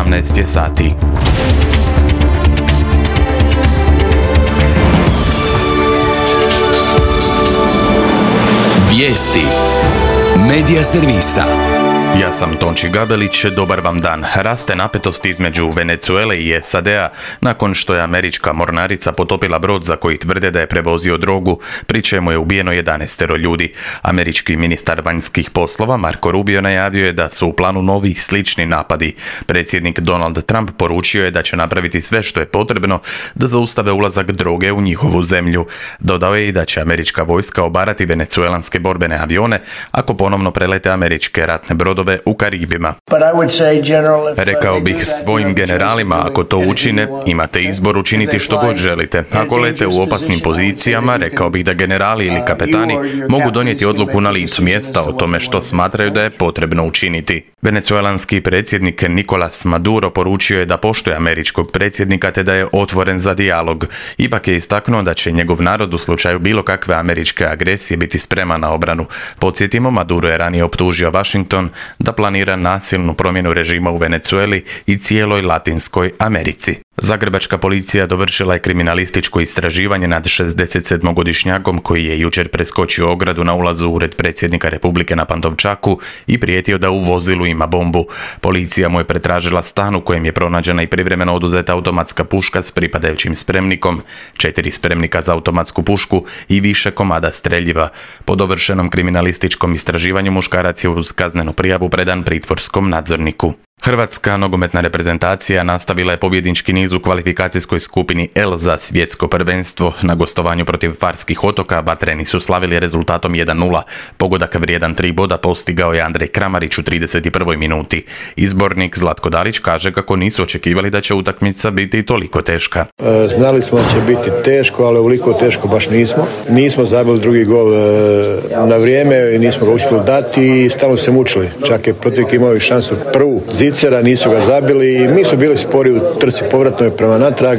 18 sati. Vijesti Medija servisa. Ja sam Tonči Gabelić, dobar vam dan. Raste napetost između Venezuele i SAD-a nakon što je američka mornarica potopila brod za koji tvrde da je prevozio drogu, pri čemu je ubijeno 11 ljudi. Američki ministar vanjskih poslova Marco Rubio najavio je da su u planu novi slični napadi. Predsjednik Donald Trump poručio je da će napraviti sve što je potrebno da zaustave ulazak droge u njihovu zemlju. Dodao je i da će američka vojska obarati venezuelanske borbene avione ako ponovno prelete američke ratne brodove u Karibima. Rekao bih svojim generalima, ako to učine, imate izbor učiniti što god želite. Ako lete u opasnim pozicijama, rekao bih da generali ili kapetani mogu donijeti odluku na licu mjesta o tome što smatraju da je potrebno učiniti. Venezuelanski predsjednik Nicolás Maduro poručio je da poštuje američkog predsjednika te da je otvoren za dijalog. Ipak je istaknuo da će njegov narod u slučaju bilo kakve američke agresije biti spreman na obranu. Podsjetimo, Maduro je ranije optužio Washington da planira nasilnu promjenu režima u Venezueli i cijeloj Latinskoj Americi. Zagrebačka policija dovršila je kriminalističko istraživanje nad 67-godišnjakom koji je jučer preskočio ogradu na ulazu u ured predsjednika Republike na Pantovčaku i prijetio da u vozilu ima bombu. Policija mu je pretražila stan u kojem je pronađena i privremeno oduzeta automatska puška s pripadajućim spremnikom, 4 spremnika za automatsku pušku i više komada streljiva. Po dovršenom kriminalističkom istraživanju muškarac je uz kaznenu prijavu predan pritvorskom nadzorniku. Hrvatska nogometna reprezentacija nastavila je pobjednički niz u kvalifikacijskoj skupini L za svjetsko prvenstvo. Na gostovanju protiv Farskih otoka Vatreni su slavili rezultatom 1:0. Pogodak vrijedan 3 boda postigao je Andrej Kramarić u 31. minuti. Izbornik Zlatko Dalić kaže kako nisu očekivali da će utakmica biti toliko teška. Znali smo da će biti teško, ali ovoliko teško baš nismo. Nismo zabili drugi gol na vrijeme i nismo ga uspjeli dati i stalno se mučili. Čak je protivnik imao i šansu prvu Zicera, nisu ga zabili. Mi su bili spori u trci povratnoj prema natrag,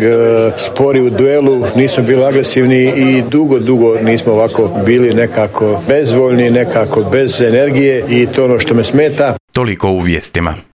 spori u duelu, nismo bili agresivni i dugo nismo ovako bili nekako bezvoljni, nekako bez energije i to ono što me smeta. Toliko u vijestima.